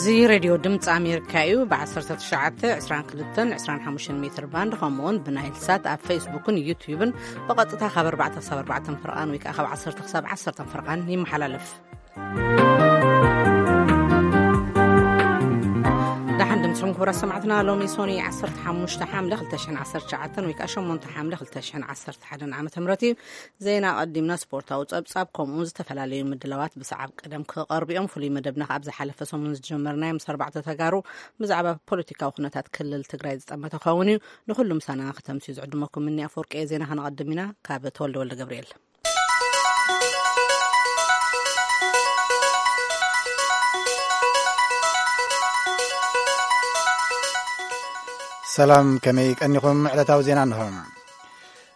እዚ ሬድዮ ድምፂ ኣሜሪካ እዩ። ብ19፣ 22፣ 25 ሜትር ባንድ፣ ከምኡ እውን ብናይል ሳት ኣብ ፌስቡክን ዩትዩብን ብቐጥታ ካብ ኣርባዕተ ክሳብ ኣርባዕተ ፍርቓን ወይ ከዓ ካብ ዓሰርተ ክሳብ ዓሰርተ ፍርቓን ይመሓላለፍ። ደሓን ድምፅኹም ክቡራት ሰማዕትና። ሎሚ ሶኒ ዓሰርተ ሓሙሽተ ሓምለ ክልተ ሽሕን ዓሰርተ ትሽዓተን ወይ ከዓ ሸሞንተ ሓምለ ክልተ ሽሕን ዓሰርተ ሓደን ዓመተ ምህረት እዩ። ዜና ኣቐዲምና ስፖርታዊ ጸብጻብ፣ ከምኡ ዝተፈላለዩ ምድላዋት ብሰዓብ ቀደም ክቐርቡ እዮም። ፍሉይ መደብና ካብ ዝሓለፈ ሰሙን ዝጀመርናዮ ምስ ኣርባዕተ ተጋሩ ብዛዕባ ፖለቲካዊ ኩነታት ክልል ትግራይ ዝጠመተ ክኸውን እዩ። ንኹሉ ምሳና ከተምስዩ ዝዕድመኩም እኒ ኣፈወርቂ እየ። ዜና ከነቐድም ኢና። ካብ ተወልደ ወልደ ገብርኤል። ሰላም፣ ከመይ ቀኒኹም? ዕለታዊ ዜና እንሆ።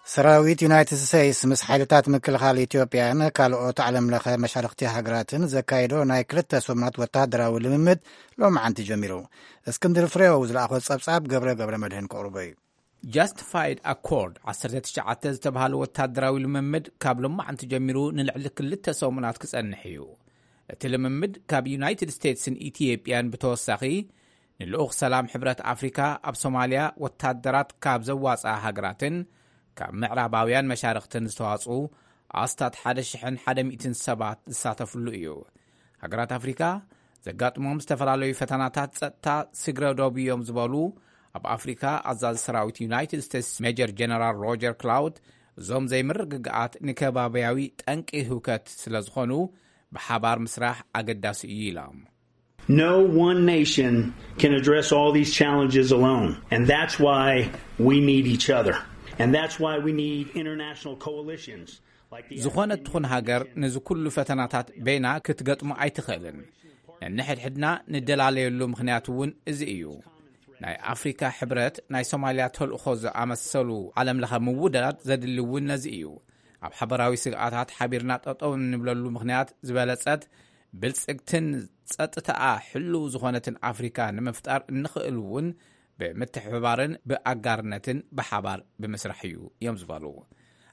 ሰራዊት ዩናይትድ ስቴትስ ምስ ሓይልታት ምክልኻል ኢትዮጵያን ካልኦት ዓለም ለኸ መሻርኽቲ ሃገራትን ዘካየዶ ናይ ክልተ ሰሙናት ወተሃደራዊ ልምምድ ሎማዓንቲ ጀሚሩ። እስክንድር ፍሬው ዝለኣኾ ጸብጻብ ገብረ ገብረ መድህን ከቕርቦ እዩ። ጃስቲፋይድ ኣኮርድ ዓሰርተ ትሽዓተ ዝተባህለ ወተሃደራዊ ልምምድ ካብ ሎማዓንቲ ጀሚሩ ንልዕሊ ክልተ ሰሙናት ክጸንሕ እዩ። እቲ ልምምድ ካብ ዩናይትድ ስቴትስን ኢትዮጵያን ብተወሳኺ ንልኡኽ ሰላም ሕብረት ኣፍሪካ ኣብ ሶማልያ ወታደራት ካብ ዘዋፅኣ ሃገራትን ካብ ምዕራባውያን መሻርኽትን ዝተዋፅኡ ኣስታት ሓደ ሽሕን ሓደ ሚእትን ሰባት ዝሳተፍሉ እዩ። ሃገራት ኣፍሪካ ዘጋጥሞም ዝተፈላለዩ ፈተናታት ጸጥታ ስግረ ዶብ እዮም ዝበሉ ኣብ ኣፍሪካ ኣዛዚ ሰራዊት ዩናይትድ ስቴትስ ሜጀር ጀነራል ሮጀር ክላውድ፣ እዞም ዘይምርግጋኣት ንከባቢያዊ ጠንቂ ህውከት ስለ ዝኾኑ ብሓባር ምስራሕ ኣገዳሲ እዩ ኢሎም። No one nation can address all these challenges alone, and that's why we need each other, and that's why we need international coalitions like the ዝኾነት ትኹን ሃገር ነዚ ኩሉ ፈተናታት በይና ክትገጥሞ ኣይትኽእልን። ነንሕድሕድና ንደላለየሉ ምኽንያት እውን እዚ እዩ። ናይ ኣፍሪካ ሕብረት፣ ናይ ሶማልያ ተልእኾ ዝኣመሰሉ ዓለም ለኸ ምውዳድ ዘድሊ እውን ነዚ እዩ። ኣብ ሓበራዊ ስግኣታት ሓቢርና ጠጠው እንብለሉ ምኽንያት ዝበለጸት ብልጽግትን ጸጥታኣ ሕልው ዝኾነትን ኣፍሪካ ንምፍጣር እንኽእል እውን ብምትሕብባርን ብኣጋርነትን ብሓባር ብምስራሕ እዩ እዮም ዝበሉ።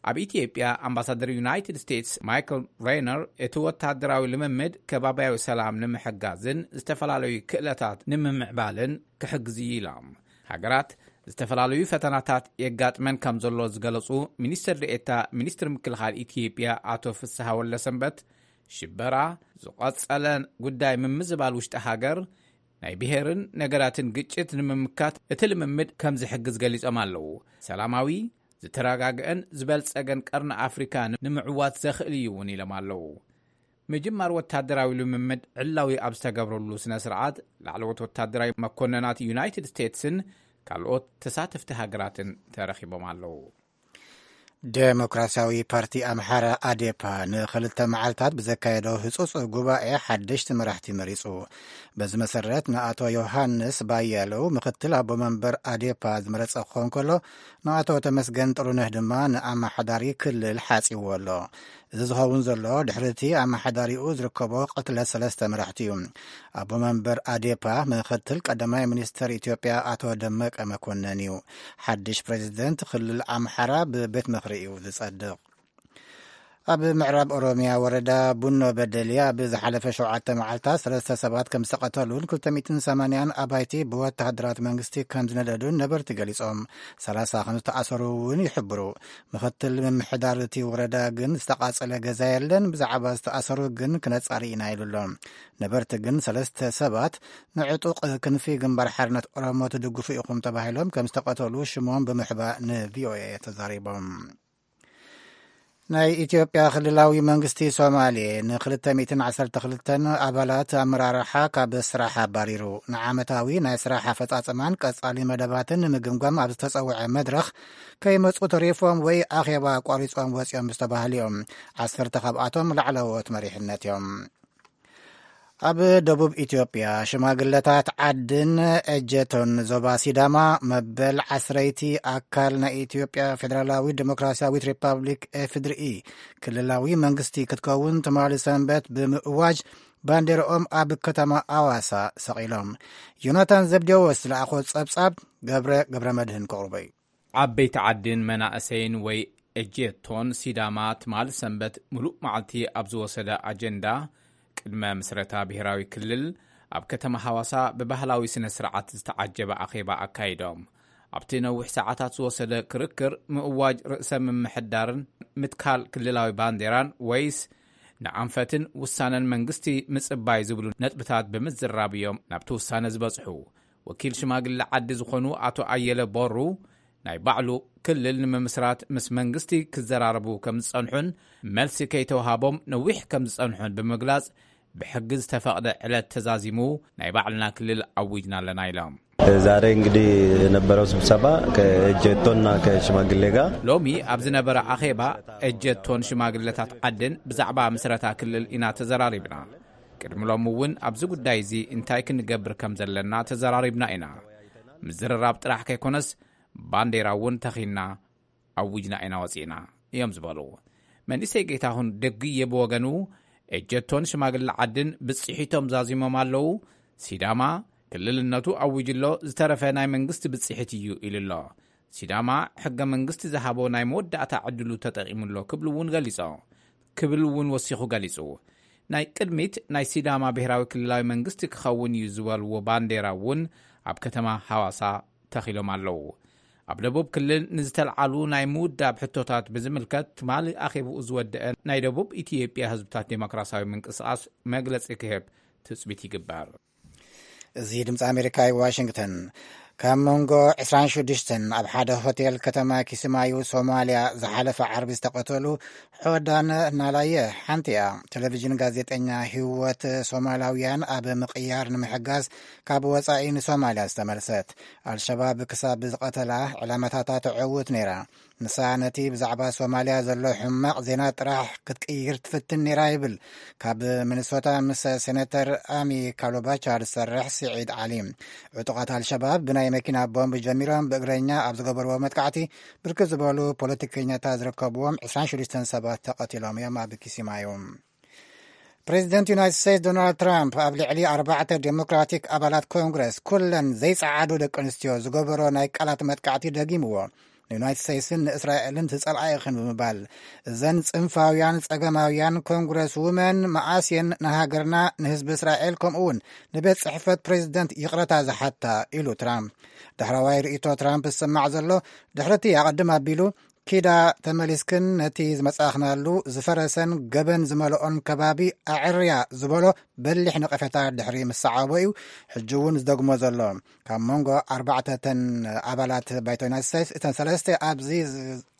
ኣብ ኢትዮጵያ ኣምባሳደር ዩናይትድ ስቴትስ ማይክል ሬነር እቲ ወታደራዊ ልምምድ ከባቢያዊ ሰላም ንምሕጋዝን ዝተፈላለዩ ክእለታት ንምምዕባልን ክሕግዝ እዩ ኢሎም። ሃገራት ዝተፈላለዩ ፈተናታት የጋጥመን ከም ዘሎ ዝገለጹ ሚኒስትር ዴኤታ ሚኒስትር ምክልኻል ኢትዮጵያ ኣቶ ፍስሐ ወልደሰንበት፣ ሽበራ ዝቐጸለ ጉዳይ ምምዝባል ውሽጢ ሃገር ናይ ብሄርን ነገራትን ግጭት ንምምካት እቲ ልምምድ ከም ዝሕግዝ ገሊጾም ኣለዉ። ሰላማዊ፣ ዝተረጋግአን ዝበልጸገን ቀርኒ ኣፍሪካ ንምዕዋት ዘኽእል እዩ እውን ኢሎም ኣለዉ። ምጅማር ወታደራዊ ልምምድ ዕላዊ ኣብ ዝተገብረሉ ስነ ስርዓት ላዕለዎት ወታደራዊ መኮነናት ዩናይትድ ስቴትስን ካልኦት ተሳተፍቲ ሃገራትን ተረኺቦም ኣለዉ። ዴሞክራሲያዊ ፓርቲ ኣምሓራ ኣዴፓ ንኽልተ መዓልታት ብዘካየዶ ህጹጽ ጉባኤ ሓደሽቲ መራሕቲ መሪጹ። በዚ መሰረት ንኣቶ ዮሃንስ ባያለው ምኽትል ኣቦ መንበር ኣዴፓ ዝመረጸ ክኸውን ከሎ፣ ንኣቶ ተመስገን ጥሩነህ ድማ ንኣመሓዳሪ ክልል ሓጺዎ ኣሎ። እዚ ዝኸውን ዘሎ ድሕሪ እቲ ኣመሓዳሪኡ ዝርከቦ ቅትለት ሰለስተ መራሕቲ እዩ። ኣቦ መንበር ኣዴፓ ምኽትል ቀዳማይ ሚኒስትር ኢትዮጵያ ኣቶ ደመቀ መኮነን እዩ። ሓድሽ ፕሬዚደንት ክልል ኣምሓራ ብቤት ምኽሪ እዩ ዝጸድቕ። ኣብ ምዕራብ ኦሮሚያ ወረዳ ቡኖ በደሊ ኣብ ዝሓለፈ ሸውዓተ መዓልታት ሰለስተ ሰባት ከም ዝተቐተሉን ክልተ ሚእትን ሰማንያን ኣባይቲ ብወተሃደራት መንግስቲ ከም ዝነደዱን ነበርቲ ገሊጾም። ሰላሳ ከም ዝተኣሰሩ እውን ይሕብሩ። ምኽትል ምምሕዳር እቲ ወረዳ ግን ዝተቓጸለ ገዛ የለን፣ ብዛዕባ ዝተኣሰሩ ግን ክነጻሪ ኢና ኢሉ ኣሎ። ነበርቲ ግን ሰለስተ ሰባት ንዕጡቕ ክንፊ ግንባር ሓርነት ኦሮሞ ትድግፉ ኢኹም ተባሂሎም ከም ዝተቐተሉ ሽሞም ብምሕባእ ንቪኦኤ ተዛሪቦም። ናይ ኢትዮጵያ ክልላዊ መንግስቲ ሶማሌ ን212 ኣባላት ኣመራርሓ ካብ ስራሕ ኣባሪሩ። ንዓመታዊ ናይ ስራሕ ኣፈጻጽማን ቀጻሊ መደባትን ንምግምጋም ኣብ ዝተጸውዐ መድረኽ ከይመጹ ተሪፎም ወይ ኣኼባ ኣቋሪጾም ወጺኦም ዝተባህሉ እዮም። ዓሰርተ ካብኣቶም ላዕለዎት መሪሕነት እዮም። ኣብ ደቡብ ኢትዮጵያ ሽማግለታት ዓድን ኤጀቶን ዞባ ሲዳማ መበል ዓስረይቲ ኣካል ናይ ኢትዮጵያ ፌደራላዊ ዴሞክራሲያዊት ሪፐብሊክ ኤፍድርኢ ክልላዊ መንግስቲ ክትከውን ትማሊ ሰንበት ብምእዋጅ ባንዴራኦም ኣብ ከተማ ኣዋሳ ሰቒሎም። ዮናታን ዘብዴዎስ ዝለኣኾ ጸብጻብ ገብረ ገብረ መድህን ከቕርቦ እዩ። ዓበይቲ ዓድን መናእሰይን ወይ ኤጀቶን ሲዳማ ትማሊ ሰንበት ምሉእ መዓልቲ ኣብ ዝወሰደ ኣጀንዳ ቅድመ ምስረታ ብሄራዊ ክልል ኣብ ከተማ ሃዋሳ ብባህላዊ ስነ ስርዓት ዝተዓጀበ ኣኼባ ኣካይዶም። ኣብቲ ነዊሕ ሰዓታት ዝወሰደ ክርክር፣ ምእዋጅ ርእሰ ምምሕዳርን ምትካል ክልላዊ ባንዴራን፣ ወይስ ንኣንፈትን ውሳነን መንግስቲ ምጽባይ ዝብሉ ነጥብታት ብምዝራብ እዮም ናብቲ ውሳነ ዝበጽሑ። ወኪል ሽማግለ ዓዲ ዝኾኑ ኣቶ ኣየለ ቦሩ፣ ናይ ባዕሉ ክልል ንምምስራት ምስ መንግስቲ ክዘራረቡ ከም ዝጸንሑን፣ መልሲ ከይተውሃቦም ነዊሕ ከም ዝጸንሑን ብምግላጽ፣ ብሕጊ ዝተፈቕደ ዕለት ተዛዚሙ ናይ ባዕልና ክልል ኣዊጅና ኣለና ኢሎም። ዛሬ እንግዲህ የነበረው ስብሰባ ከእጀቶና ከሽማግሌ ጋር ሎሚ ኣብ ዝነበረ ኣኼባ፣ እጀቶን ሽማግለታት ዓድን ብዛዕባ ምስረታ ክልል ኢና ተዘራሪብና። ቅድሚ ሎሚ እውን ኣብዚ ጉዳይ እዚ እንታይ ክንገብር ከም ዘለና ተዘራሪብና ኢና። ምዝርራብ ጥራሕ ከይኮነስ፣ ባንዴራ እውን ተኺና ኣዊጅና ኢና ወፂእና እዮም ዝበሉ። መንእሰይ ጌታሁን ደግየ ብወገኑ፣ እጀቶን ሽማግለ ዓድን ብፅሒቶም ዛዚሞም ኣለዉ። ሲዳማ ክልልነቱ ኣዊጅ ኣሎ፣ ዝተረፈ ናይ መንግስቲ ብፅሒት እዩ ኢሉ ኣሎ። ሲዳማ ሕገ መንግስቲ ዝሃቦ ናይ መወዳእታ ዕድሉ ተጠቂሙ ኣሎ ክብሉ እውን ገሊጾ ክብል እውን ወሲኹ ገሊጹ። ናይ ቅድሚት ናይ ሲዳማ ብሔራዊ ክልላዊ መንግስቲ ክኸውን እዩ ዝበልዎ ባንዴራ እውን ኣብ ከተማ ሃዋሳ ተኺሎም ኣለዉ። ኣብ ደቡብ ክልል ንዝተልዓሉ ናይ ምውዳብ ሕቶታት ብዝምልከት፣ ትማሊ ኣኼብኡ ዝወደአ ናይ ደቡብ ኢትዮጵያ ህዝብታት ዴሞክራሲያዊ ምንቅስቃስ መግለጺ ክህብ ትጽቢት ይግበር። እዚ ድምፂ ኣሜሪካ እዩ፣ ዋሽንግተን። ካብ መንጎ ዕስራን ሽዱሽተን ኣብ ሓደ ሆቴል ከተማ ኪስማዩ ሶማልያ ዝሓለፈ ዓርቢ ዝተቐተሉ ሕወዳን ናላየ ሓንቲ እያ። ቴሌቪዥን ጋዜጠኛ ህይወት ሶማላውያን ኣብ ምቕያር ንምሕጋዝ ካብ ወፃኢ ንሶማልያ ዝተመልሰት። ኣልሸባብ ክሳብ ዝቐተላ ዕላማታታ ተዕውት ነይራ። ንሳ ነቲ ብዛዕባ ሶማልያ ዘሎ ሕማቕ ዜና ጥራሕ ክትቅይር ትፍትን ነይራ ይብል ካብ ሚኒሶታ ምስ ሴኔተር ኣሚ ካሎባቻ ዝሰርሕ ስዒድ ዓሊ። ዕጡቓት ኣልሸባብ ብናይ መኪና ቦምብ ጀሚሮም ብእግረኛ ኣብ ዝገበርዎ መጥቃዕቲ ብርክት ዝበሉ ፖለቲከኛታት ዝርከብዎም ዕስራን ሽዱሽተን ሰባት ተቐቲሎም እዮም ኣብ ኪሲማዩ። ፕሬዚደንት ዩናይትድ ስቴትስ ዶናልድ ትራምፕ ኣብ ልዕሊ ኣርባዕተ ዴሞክራቲክ ኣባላት ኮንግረስ፣ ኩለን ዘይጸዓዱ ደቂ ኣንስትዮ፣ ዝገበሮ ናይ ቃላት መጥቃዕቲ ደጊምዎ። ንዩናይትድ ስቴትስን ንእስራኤልን ትጸልኣ ኢኽን ብምባል፣ እዘን ጽንፋውያን ጸገማውያን ኮንግረስ ውመን መኣስ እየን ንሃገርና፣ ንህዝቢ እስራኤል፣ ከምኡ እውን ንቤት ጽሕፈት ፕሬዚደንት ይቕረታ ዝሓታ ኢሉ ትራምፕ። ዳሕረዋይ ርእይቶ ትራምፕ ዝስማዕ ዘሎ፣ ድሕሪ እቲ ኣቐድም ኣቢሉ ኪዳ ተመሊስክን ነቲ ዝመጻእኽናሉ ዝፈረሰን ገበን ዝመልኦን ከባቢ ኣዕርያ ዝበሎ በሊሕ ነቐፌታ ድሕሪ ምስዓቦ እዩ ሕጂ እውን ዝደግሞ ዘሎ። ካብ መንጎ ኣርባዕተተን ኣባላት ባይቶ ዩናይትድ ስቴትስ እተን ሰለስተ ኣብዚ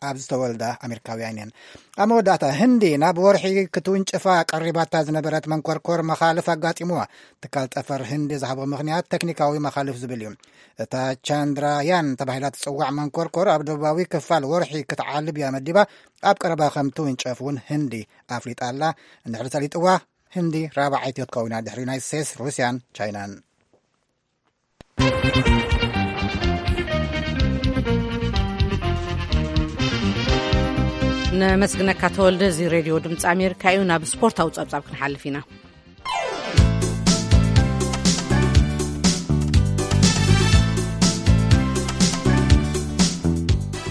ኣብ ዝተወልዳ ኣሜሪካውያን እየን። ኣብ መወዳእታ፣ ህንዲ ናብ ወርሒ ክትውንጭፋ ቀሪባታ ዝነበረት መንኮርኮር መኻልፍ ኣጋጢምዋ። ትካል ጠፈር ህንዲ ዝሃቦ ምኽንያት ተክኒካዊ መኻልፍ ዝብል እዩ። እታ ቻንድራያን ተባሂላ ትጽዋዕ መንኮርኮር ኣብ ደቡባዊ ክፋል ወርሒ ክትዓልብ እያ መዲባ። ኣብ ቀረባ ከም ትውንጨፍ እውን ህንዲ ኣፍሊጣ ኣላ። እንድሕሪ ሰሊጥዋ፣ ህንዲ ራብዓይቲ ክትከውን እያ ድሕሪ ዩናይትድ ስቴትስ፣ ሩስያን ቻይናን። ነመስግነካ ተወልደ። እዚ ሬድዮ ድምፂ ኣሜሪካ እዩ። ናብ ስፖርታዊ ፀብፃብ ክንሓልፍ ኢና።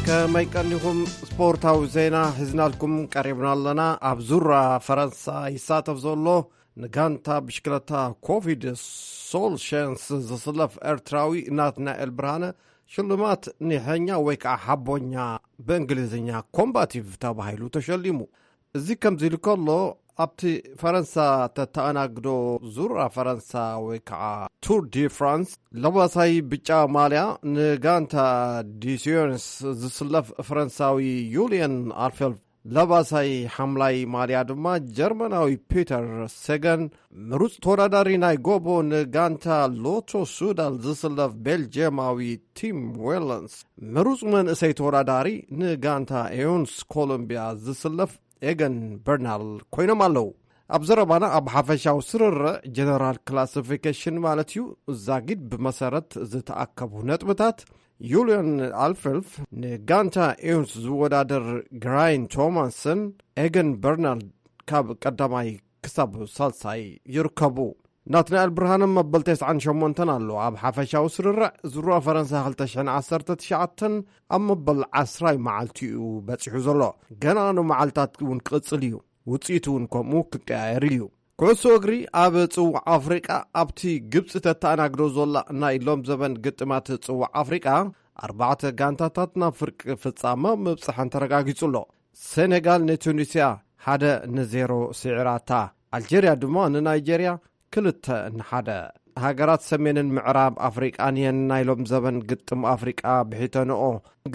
ከመይ ቀኒኹም? ስፖርታዊ ዜና ሒዝናልኩም ቀሪብና ኣለና። ኣብ ዙራ ፈረንሳ ይሳተፍ ዘሎ ንጋንታ ብሽክለታ ኮቪድ ሶል ሸንስ ዝስለፍ ኤርትራዊ ናትናኤል ብርሃነ ሽልማት ኒሐኛ ወይ ከዓ ሓቦኛ፣ ብእንግሊዝኛ ኮምባቲቭ ተባሂሉ ተሸሊሙ። እዚ ከምዚ ኢሉ ከሎ፣ ኣብቲ ፈረንሳ ተተኣናግዶ ዙራ ፈረንሳ ወይ ከዓ ቱር ዲ ፍራንስ ለባሳይ ብጫ ማልያ ንጋንታ ዲሲዮንስ ዝስለፍ ፈረንሳዊ ዩልየን ኣልፌልፍ ለባሳይ ሓምላይ ማልያ ድማ ጀርመናዊ ፒተር ሴገን፣ ምሩፅ ተወዳዳሪ ናይ ጎቦ ንጋንታ ሎቶ ሱዳል ዝስለፍ ቤልጅየማዊ ቲም ዌለንስ፣ ምሩፅ መንእሰይ ተወዳዳሪ ንጋንታ ኤዮንስ ኮሎምቢያ ዝስለፍ ኤገን በርናል ኮይኖም ኣለዉ። ኣብ ዘረባና ኣብ ሓፈሻዊ ስርርዕ ጀነራል ክላሲፊኬሽን ማለት እዩ፣ ዛጊድ ብመሰረት ዝተኣከቡ ነጥብታት ዩልዮን ኣልፈልፍ ንጋንታ ኤውንስ ዝወዳደር ግራይን ቶማስን ኤገን በርናልድ ካብ ቀዳማይ ክሳብ ሳልሳይ ይርከቡ። ናትናኤል ብርሃነ መበል ተስዓን ሸሞንተን ኣሎ። ኣብ ሓፈሻዊ ስርርዕ ዙራ ፈረንሳ ክልተ ሽሕን ዓሰርተ ትሽዓተን ኣብ መበል ዓስራይ መዓልቲ እዩ በጺሑ ዘሎ። ገና ንመዓልታት እውን ክቕጽል እዩ። ውጽኢቱ እውን ከምኡ ክቀያየር እዩ። ኩዕሶ እግሪ ኣብ ጽዋዕ ኣፍሪቃ፣ ኣብቲ ግብጺ ተተኣናግዶ ዘላ ናይ ሎም ዘበን ግጥማት ጽዋዕ ኣፍሪቃ፣ ኣርባዕተ ጋንታታት ናብ ፍርቂ ፍጻመ ምብጽሐን ተረጋጊጹ ኣሎ። ሴኔጋል ንቱኒስያ ሓደ ንዜሮ ስዒራታ። ኣልጀርያ ድማ ንናይጀርያ ክልተ ንሓደ። ሃገራት ሰሜንን ምዕራብ ኣፍሪቃን እየን ናይ ሎም ዘበን ግጥም ኣፍሪቃ ብሒተንኦ።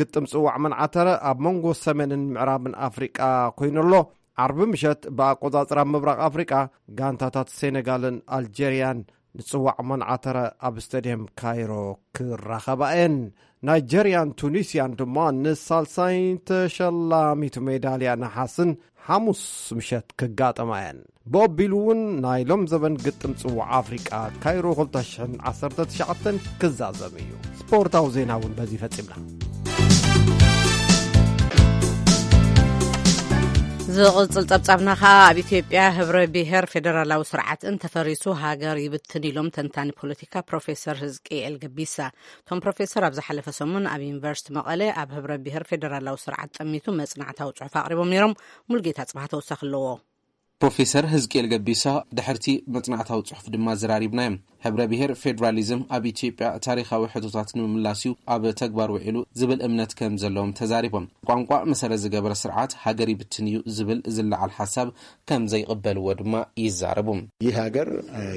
ግጥም ጽዋዕ መንዓተረ ኣብ መንጎ ሰሜንን ምዕራብን ኣፍሪቃ ኮይኑ ኣሎ። ዓርቢ ምሸት ብኣቆጻጽራ ምብራቕ ኣፍሪቃ፣ ጋንታታት ሴኔጋልን ኣልጀርያን ንጽዋዕ መንዓተረ ኣብ ስታድየም ካይሮ ክራኸባ እየን። ናይጀርያን ቱኒስያን ድማ ንሳልሳይን ተሸላሚት ሜዳልያ ነሓስን ሓሙስ ምሸት ክጋጠማ እየን። ብኣቢሉ እውን ናይ ሎም ዘበን ግጥም ጽዋዕ ኣፍሪቃ ካይሮ ክልተ ሽሕን ዓሰርተ ትሽዓተን ክዛዘም እዩ። ስፖርታዊ ዜና እውን በዚ ፈጺምና። ዝቕጽል ጸብጻብና ኸኣ ኣብ ኢትዮጵያ ህብረ ብሔር ፌደራላዊ ስርዓት እንተፈሪሱ ሃገር ይብትን ኢሎም ተንታኒ ፖለቲካ ፕሮፌሰር ህዝቅኤል ገቢሳ። እቶም ፕሮፌሰር ኣብ ዝሓለፈ ሰሙን ኣብ ዩኒቨርሲቲ መቐለ ኣብ ህብረ ብሔር ፌደራላዊ ስርዓት ጠሚቱ መጽናዕታዊ ጽሑፍ ኣቕሪቦም ነይሮም። ሙልጌታ ጽባህ ተወሳኺ ኣለዎ። ፕሮፌሰር ህዝቅኤል ገቢሳ ድሕርቲ መጽናዕታዊ ጽሑፍ ድማ ዘራሪብናዮም። ህብረ ብሔር ፌዴራሊዝም ኣብ ኢትዮጵያ ታሪኻዊ ሕቶታት ንምምላስ እዩ ኣብ ተግባር ውዒሉ ዝብል እምነት ከም ዘለዎም ተዛሪቦም። ቋንቋ መሰረት ዝገበረ ስርዓት ሃገር ይብትን እዩ ዝብል ዝለዓል ሓሳብ ከም ዘይቕበልዎ ድማ ይዛረቡ። ይህ ሀገር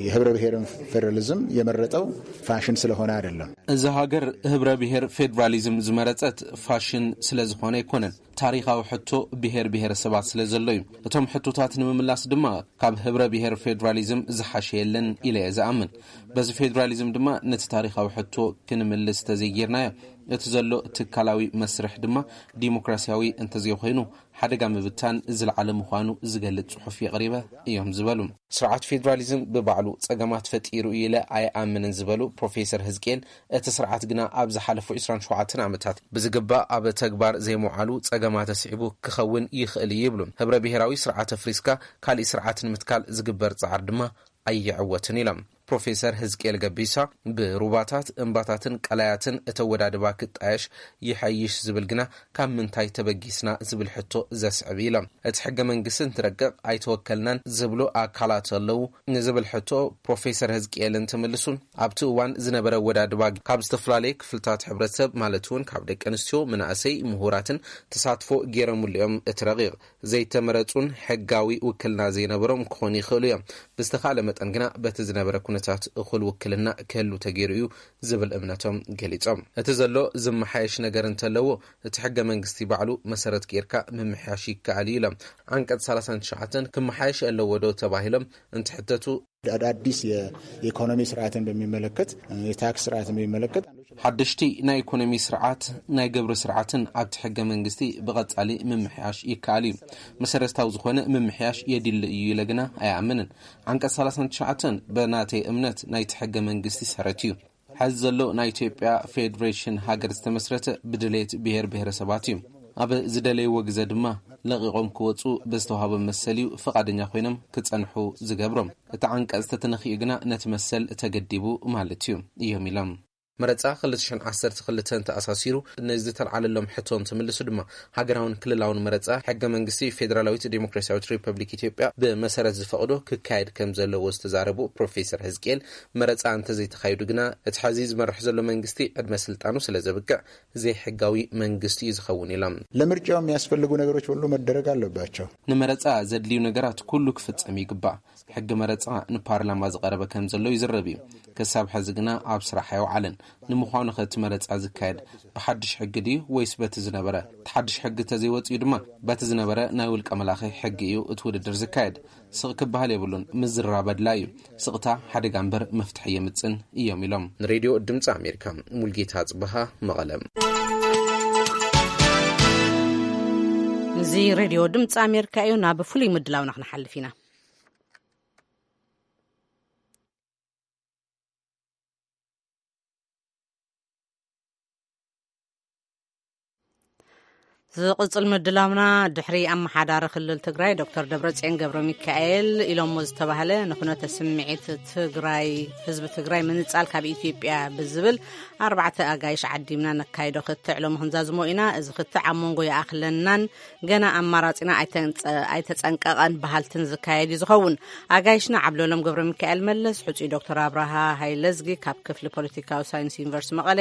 የህብረ ብሔርን ፌዴራሊዝም የመረጠው ፋሽን ስለሆነ አይደለም። እዚ ሃገር ህብረ ብሔር ፌዴራሊዝም ዝመረጸት ፋሽን ስለ ዝኾነ ኣይኮነን። ታሪኻዊ ሕቶ ብሔር ብሔረሰባት ስለ ዘሎ እዩ። እቶም ሕቶታት ንምምላስ ድማ ካብ ህብረ ብሔር ፌዴራሊዝም ዝሓሸ የለን ኢለ እየ ዝኣምን። በዚ ፌዴራሊዝም ድማ ነቲ ታሪኻዊ ሕቶ ክንምልስ ተዘይጌርናዮ፣ እቲ ዘሎ ትካላዊ መስርሕ ድማ ዲሞክራሲያዊ እንተዘይኮይኑ ሓደጋ ምብታን ዝለዓለ ምዃኑ ዝገልጽ ጽሑፍ የቕሪበ እዮም ዝበሉ። ስርዓት ፌዴራሊዝም ብባዕሉ ጸገማት ፈጢሩ እዩ ኢለ ኣይኣምንን ዝበሉ ፕሮፌሰር ህዝቅኤል፣ እቲ ስርዓት ግና ኣብ ዝሓለፉ ዕስራን ሸውዓተን ዓመታት ብዝግባእ ኣብ ተግባር ዘይምውዓሉ ጸገማት ኣስዒቡ ክኸውን ይኽእል እዩ ይብሉ። ህብረ ብሔራዊ ስርዓት ኣፍሪስካ ካሊእ ስርዓት ንምትካል ዝግበር ጻዕሪ ድማ ኣይዕወትን ኢሎም። ፕሮፌሰር ህዝቅኤል ገቢሳ፣ ብሩባታት፣ እምባታትን ቀላያትን እተወዳድባ ክጣየሽ ይሐይሽ ዝብል ግና ካብ ምንታይ ተበጊስና ዝብል ሕቶ ዘስዕብ ኢሎም። እቲ ሕገ መንግስቲ እንትረቅቕ ኣይተወከልናን ዝብሉ ኣካላት ኣለዉ ንዝብል ሕቶ ፕሮፌሰር ህዝቅኤል እንትምልሱ፣ ኣብቲ እዋን ዝነበረ ኣወዳድባ ካብ ዝተፈላለየ ክፍልታት ሕብረተሰብ ማለት እውን ካብ ደቂ ኣንስትዮ፣ መናእሰይ፣ ምሁራትን ተሳትፎ ገይረምሉ እዮም። እቲ ረቂቕ ዘይተመረጹን ሕጋዊ ውክልና ዘይነበሮም ክኾኑ ይኽእሉ እዮም። ብዝተኻእለ መጠን ግና በቲ ዝነበረ ኩነታት እኹል ውክልና ክህሉ ተገይሩ እዩ ዝብል እምነቶም ገሊጾም። እቲ ዘሎ ዝመሓየሽ ነገር እንተለዎ እቲ ሕገ መንግስቲ ባዕሉ መሰረት ጌርካ ምምሕያሽ ይከኣል እዩ ኢሎም። ዓንቀጽ ሰላሳን ትሽዓተን ክመሓየሽ ኣለዎ ዶ ተባሂሎም እንትሕተቱ፣ አዳዲስ የኢኮኖሚ ስርዓትን በሚመለከት፣ የታክስ ስርዓትን በሚመለከት ሓደሽቲ ናይ ኢኮኖሚ ስርዓት፣ ናይ ግብሪ ስርዓትን ኣብቲ ሕገ መንግስቲ ብቐጻሊ ምምሕያሽ ይከኣል እዩ። መሰረታዊ ዝኾነ ምምሕያሽ የድሊ እዩ ኢለ ግና ኣይኣምንን። ዓንቀጽ ሰላሳን ትሽዓተን ብናተይ እምነት ናይቲ ሕገ መንግስቲ ሰረት እዩ። ሕዚ ዘሎ ናይ ኢትዮጵያ ፌዴሬሽን ሃገር ዝተመስረተ ብድሌት ብሔር ብሔረሰባት እዩ። ኣብ ዝደለይዎ ግዘ ድማ ለቒቖም ክወፁ ብዝተዋህቦም መሰል እዩ ፍቓደኛ ኮይኖም ክጸንሑ ዝገብሮም። እቲ ዓንቀጽ ተተነኺኡ ግና ነቲ መሰል ተገዲቡ ማለት እዩ እዮም ኢሎም። መረጻ ክልተ ሽሕን ዓሰርተ ክልተን ተኣሳሲሩ ንዝተልዓለሎም ሕቶ እንትምልሱ ድማ ሃገራውን ክልላውን መረጻ ሕገ መንግስቲ ፌዴራላዊት ዴሞክራሲያዊት ሪፐብሊክ ኢትዮጵያ ብመሰረት ዝፈቕዶ ክካየድ ከም ዘለዎ ዝተዛረቡ ፕሮፌሰር ህዝቅኤል፣ መረጻ እንተዘይተኻይዱ ግና እቲ ሕዚ ዝመርሕ ዘሎ መንግስቲ ዕድመ ስልጣኑ ስለ ዘብቅዕ ዘይሕጋዊ መንግስቲ እዩ ዝኸውን ኢሎም። ለምርጫው የሚያስፈልጉ ነገሮች ሁሉ መደረግ አለባቸው። ንመረጻ ዘድልዩ ነገራት ኩሉ ክፍጸም ይግባእ። ሕጊ መረጻ ንፓርላማ ዝቐረበ ከም ዘሎ ይዝረብ እዩ። ክሳብ ሕዚ ግና ኣብ ስራሕ ኣይወዓለን። ንምዃኑ ከ እቲ መረጻ ዝካየድ ብሓድሽ ሕጊ ድዩ ወይስ በቲ ዝነበረ? እቲ ሓድሽ ሕጊ ተዘይወጽኡ ድማ በቲ ዝነበረ ናይ ውልቀ መላኺ ሕጊ እዩ እቲ ውድድር ዝካየድ። ስቕ ክበሃል የብሉን። ምዝራብ ኣድላይ እዩ። ስቕታ ሓደጋ እምበር መፍትሒ የምጽን እዮም ኢሎም ንሬድዮ ድምፂ ኣሜሪካ። ሙልጌታ ጽበሃ፣ መቐለ። እዚ ሬድዮ ድምፂ ኣሜሪካ እዩ። ናብ ፍሉይ ምድላውና ክንሓልፍ ኢና። ዝቕጽል ምድላውና፣ ድሕሪ ኣመሓዳሪ ክልል ትግራይ ዶክተር ደብረጽዮን ገብረ ሚካኤል ኢሎሞ ዝተባህለ ንኩነተ ስምዒት ትግራይ፣ ህዝቢ ትግራይ ምንጻል ካብ ኢትዮጵያ ብዝብል ኣርባዕተ ኣጋይሽ ዓዲምና ነካይዶ ክትዕ ሎሚ ክንዛዝሞ ኢና። እዚ ክትዕ ኣብ መንጎ ይኣኽለናን ገና ኣማራጺና ኣይተንጸ-፣ ኣይተጸንቀቐን በሃልትን ዝካየድ እዩ ዝኸውን። ኣጋይሽና ዓብለሎም ገብረ ሚካኤል መለስ፣ ሕጹይ ዶክተር ኣብርሃ ሃይለዝጊ ካብ ክፍሊ ፖለቲካዊ ሳይንስ ዩኒቨርሲቲ መቐለ፣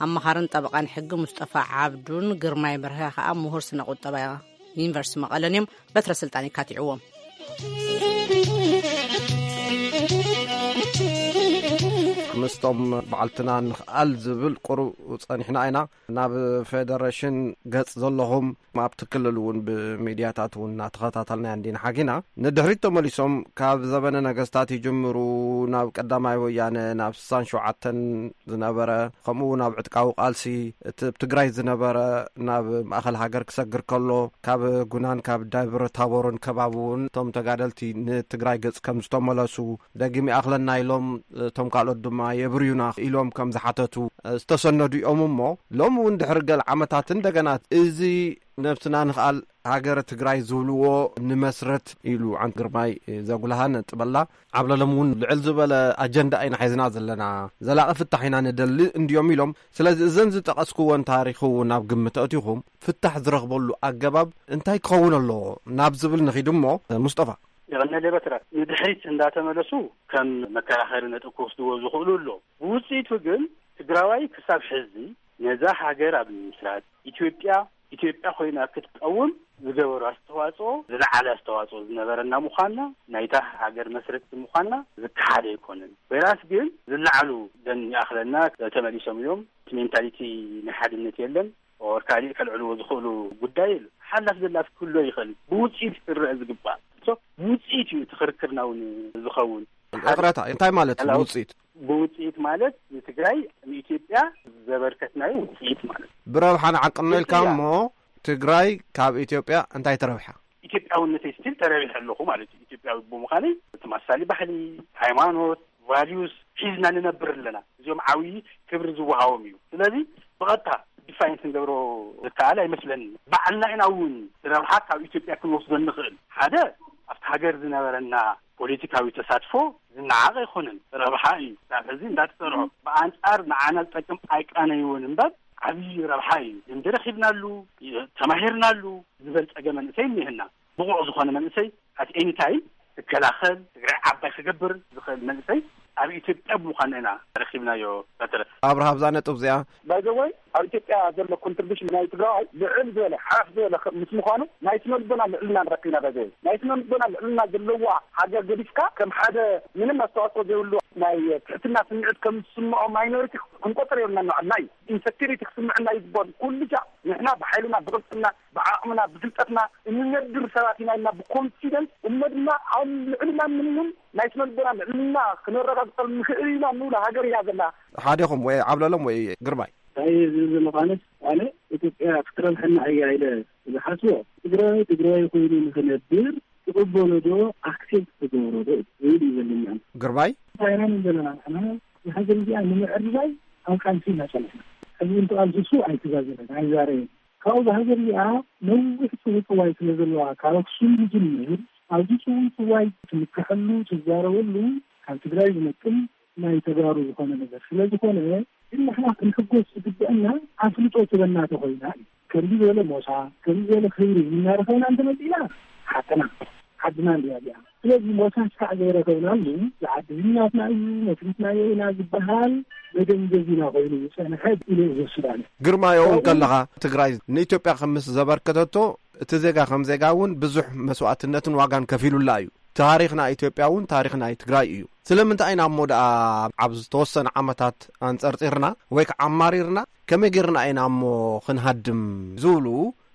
ኣማኻርን ጠበቓን ሕጊ ሙስጠፋ ዓብዱን ግርማይ በርሀ ከኣ ምሁር ስነ ቁጠባ ዩኒቨርሲቲ መቐለን እዮም። በትረ ስልጣን ይካትዕዎም። ምስቶም በዓልትና ንኽኣል ዝብል ቁሩብ ጸኒሕና ኢና። ናብ ፌደሬሽን ገጽ ዘለኹም ኣብቲ ክልል እውን ብሚድያታት እውን እናተኸታተልናያ እንዲና ሓጊና። ንድሕሪት ተመሊሶም ካብ ዘበነ ነገስታት ይጅምሩ ናብ ቀዳማይ ወያነ፣ ናብ ስሳን ሸውዓተን ዝነበረ፣ ከምኡ እውን ኣብ ዕጥቃዊ ቃልሲ እቲ ኣብ ትግራይ ዝነበረ ናብ ማእኸል ሃገር ክሰግር ከሎ፣ ካብ ጉናን ካብ ደብረ ታቦርን ከባቢ እውን እቶም ተጋደልቲ ንትግራይ ገጽ ከም ዝተመለሱ፣ ደጊም ይኣኽለና ኢሎም፣ እቶም ካልኦት ድማ የብርዩና ኢሎም ከም ዝሓተቱ ዝተሰነዱ እዮም። እሞ ሎሚ እውን ድሕሪ ገለ ዓመታት እንደገና እዚ ነብስና ንኽኣል ሃገረ ትግራይ ዝብልዎ ንመስረት ኢሉ ዓንት ግርማይ ዘጉልሃ ነጥበላ። ዓብለሎም እውን ልዕል ዝበለ ኣጀንዳ ኢና ሒዝና ዘለና፣ ዘላቒ ፍታሕ ኢና ንደሊ እንድዮም ኢሎም። ስለዚ እዘን ዝጠቐስክወን ታሪኽ እውን ኣብ ግምት ኣእቲኹም ፍታሕ ዝረኽበሉ ኣገባብ እንታይ ክኸውን ኣለዎ ናብ ዝብል ንኺድ እሞ፣ ሙስጠፋ። የቐነለ በትረ ንድሕሪት እንዳተመለሱ ከም መከራኸሪ ነጥብ ክወስድዎ ዝኽእሉ ኣሎ። ብውፅኢቱ ግን ትግራዋይ ክሳብ ሕዚ ነዛ ሃገር ኣብ ምስራት ኢትዮጵያ፣ ኢትዮጵያ ኮይና ክትቀውም ዝገበሩ ኣስተዋፅኦ፣ ዝለዓለ ኣስተዋፅኦ ዝነበረና ምዃንና፣ ናይታ ሃገር መስረቲ ምዃንና ዝከሓድ ኣይኮነን። ወይራስ ግን ዝለዓሉ ደን ይኣኽለና ተመሊሶም እዮም። እቲ ሜንታሊቲ ናይ ሓድነት የለን። ኦር ካልእ ከልዕልዎ ዝኽእሉ ጉዳይ የሉ። ሓላፍ ዘላፍ ክህሎ ይኽእል። ብውፅኢት ክረአ ዝግባእ። ሶ፣ ብውፅኢት እዩ እቲ ክርክርና እውን ዝኸውን። ይቕረታ፣ እንታይ ማለት እዩ ብውፅኢት? ብውፅኢት ማለት ንትግራይ ንኢትዮጵያ ዘበርከትናዮ ውፅኢት ማለት እዩ። ብረብሓ ንዓቅኖ ኢልካ እሞ ትግራይ ካብ ኢትዮጵያ እንታይ ተረብሓ? ኢትዮጵያውነተይ ስቲል ተረቢሐ ኣለኹ ማለት እዩ። ኢትዮጵያዊ ብምዃነይ ተመሳሳሊ ባህሊ፣ ሃይማኖት፣ ቫልዩስ ሒዝና ንነብር ኣለና። እዚኦም ዓብዪ ክብሪ ዝወሃቦም እዩ። ስለዚ ብቐጥታ ዲፋይን ክንገብሮ ዝከኣል ኣይመስለንን። ባዕልና ኢና እውን ረብሓ ካብ ኢትዮጵያ ክንወስዶ እንኽእል። ሓደ ኣብቲ ሃገር ዝነበረና ፖለቲካዊ ተሳትፎ ዝነዓቕ ኣይኮነን፣ ረብሓ እዩ። ካብ ሕዚ እንዳተሰርሖ ብኣንጻር ንዓና ዝጠቅም ኣይቃነይዎን እምበር ዓብዪ ረብሓ እዩ። ልምዲ ረኺብናሉ፣ ተማሂርናሉ፣ ዝበልጸገ መንእሰይ እኒህና። ብቑዕ ዝኾነ መንእሰይ ኣት ኤኒ ታይም ክከላኸል፣ ትግራይ ዓባይ ክገብር ዝኽእል መንእሰይ ኣብ ኢትዮጵያ ብምዃንና ኢና ረኺብናዮ። በትረ ኣብርሃ ኣብዛ ነጥብ እዚኣ ባይዘወይ ኣብ ኢትዮጵያ ዘሎ ኮንትሪቢሽን ናይ ትግራዋይ ልዕል ዝበለ ሓፍ ዝበለ ምስ ምዃኑ ናይ ስነልቦና ልዕልና ንረኪብና። ባይዘወይ ናይ ስነልቦና ልዕልና ዘለዋ ሃገር ገዲፍካ ከም ሓደ ምንም ኣስተዋፅኦ ዘይብሉ ናይ ትሕትና ስምዒት ከም ዝስምዖ ማይኖሪቲ ክንቆፅር የብልና። ንባዕልና እዩ ኢንሰኪሪቲ ክስምዕና እዩ ዝበሉ ኩሉ ጃ ንሕና ብሓይልና ብቅልፅና ብዓቕምና ብፍልጠትና እንነብር ሰባት ኢና ኢልና ብኮንፊደንስ እሞ ድማ ኣብ ልዕልና ምንም ናይ ስነልቦና ልዕልና ክነረጋግፀሉ ንኽእል ኢና እንብላ ሃገር እያ ዘላ። ሓደኹም ወይ ዓብለሎም ወይ ግርማይ? እንታይ ዝብል ዘለኹ ኣነስ ኣነ ኢትዮጵያ ክትረብሐና እያ ኢለ ዝሓስቦ ትግራይ ትግራይ ኮይኑ ንኽነብር ትቕበሎ ዶ ኣክሴፕት ትገብሮ ዶ ዝብል እዩ ዘለኒ። ኣነ ግርማይ እንታይ ኢና ንብል ዘለና ንሕና ንሃገር እዚኣ ንምዕርራይ ኣብ ቃልሲ ኢና ጸኒሕና። ሕዚ እንተኣልስሱ ኣይተዛዘመን ኣይዛረየን። ካብኡ ብሃገር እዚኣ ነዊሕ ጽውጽዋይ ስለ ዘለዋ ካብ ኣክሱም ዝጅምር ኣብዚ ጽውጽዋይ ትምክሐሉ ትዛረበሉ ካብ ትግራይ ዝመጥን ናይ ተጋሩ ዝኾነ ነገር ስለ ዝኾነ ግን ንሕና ክንሕጎስ ዝግበአና ኣፍልጦ ትበና ተኾይና እዩ። ከምዚ ዝበለ ሞሳ ከምዚ ዝበለ ክብሪ እናረኸብና እንተመፂና ሓቅና ዓድና እንዲያ እዚኣ። ስለዚ ሞሳ ስካዕ ዘይረኸብናሉ ዝዓዲ ዝኛትና እዩ መስሪትናዮ ኢና ዝበሃል መደንዘዚና ኮይኑ ዝፀንሐ ኢለ ዝወስድ ኣነ። ግርማዮ እውን ከለኻ ትግራይ ንኢትዮጵያ ከምስ ዘበርከተቶ እቲ ዜጋ ከም ዜጋ እውን ብዙሕ መስዋእትነትን ዋጋን ከፊሉላ እዩ። ታሪኽና ኢትዮጵያ እውን ታሪኽና ትግራይ እዩ። ስለምንታይ ኢና እሞ ደኣ ኣብ ዝተወሰነ ዓመታት ኣንጸርጺርና ወይ ከዓ ኣማሪርና ከመይ ጌርና ኢና እሞ ክንሃድም ዝብሉ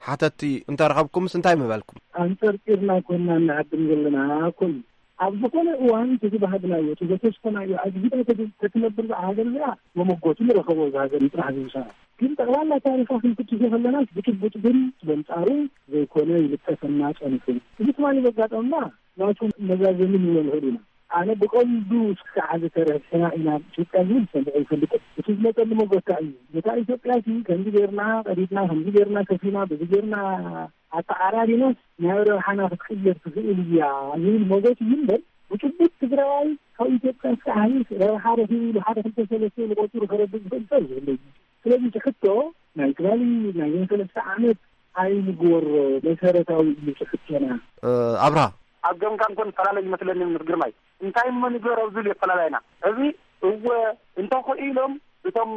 ሓተቲ እንተረኸብኩምስ እንታይ ምበልኩም? ኣንጸርጺርና ኮና እናሃድም ዘለና ኮን ኣብ ዝኾነ እዋን እቲ ዝበሃግናዮ እቲ ዘተስፈናዮ ኣግሂዳ ተትነብር ሃገር እዚኣ መመጎቱ ንረኸቦ። እዚ ሃገር ይጥራሕ ዝምሳና ግን ጠቕላላ ታሪኻ ክንፍትሾ ከለና ብጭቡጥ ግን በንጻሩ ዘይኮነ ይልጠፈና ጸኒሑ። እዚ ትማሊ ዘጋጠመና ናቱ መዛዘሚ ንብሎ ንኽእል ኢና። ኣነ ብቐንዱ እስካዕ ሕዚ ተረድሕና ኢና ኢትዮጵያ ዝብል ሰምዐ ይፈልጥ። እቲ ዝመፀሉ መጎታ እዩ። ነታ ኢትዮጵያ ሲ ከምዚ ገይርና ቀዲድና፣ ከምዚ ገይርና ከፊና፣ በዚ ገይርና ኣተዓራሪናስ ናብ ረብሓና ክትቅየር ትኽእል እያ ዝብል መጎት እዩ እምበር፣ ብጭቡጥ ትግራዋይ ካብ ኢትዮጵያ እስካዕ ሕዚ ረብሓ ረኺቡ ኢሉ ሓደ ክልተ ሰለስተ ኢሉ ቆፂሩ ከረድእ ዝኽእል ሰብ ዝብለ እዩ። ስለዚ እቲ ሕቶ ናይ ትማሊ ናይ ሰለስተ ዓመት ኣይንግበሮ፣ መሰረታዊ እዩ እቲ ሕቶና። ኣብርሃ፣ ኣብ ገምጋም ኮን ፈላለ ይመስለኒ ምስ ግርማይ። እንታይ እሞ ንገሮ ዝብል የፈላላይና። እዚ እወ እንተኽኢሎም እቶም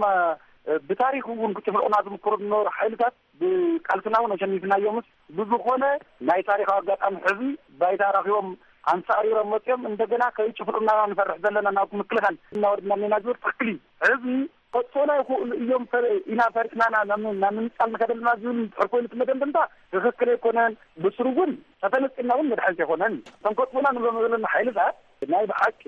ብታሪክ እውን ክጭፍልቑና ዝምክሩ ዝነበሩ ሓይልታት ብቃልስና እውን ኣሸኒፍናዮምስ ብዝኾነ ናይ ታሪካዊ ኣጋጣሚ ሕዚ ባይታ ረኪቦም ኣንሳሪሮም መፅኦም እንደገና ከይጭፍልቑና ንፈርሕ ዘለና ናብ ምክልኻል እናወርድና እኒና ዝብል ትክክል እዩ። ሕዚ ከጥፉና ይኽእሉ እዮም ፈ- ኢና ፈሪሕና ናብ ናብ ምንፃል ንኸደልና ዝብል እንድሕር ኮይኑ እቲ መደምደምታ ትኽክል ኣይኮነን። ብስሩ እውን ተተነፂልና እውን መድሓኒት ኣይኮነን። እቶም ከጥፉና ንብሎም ዘለና ሓይልታት ናይ ብሓቂ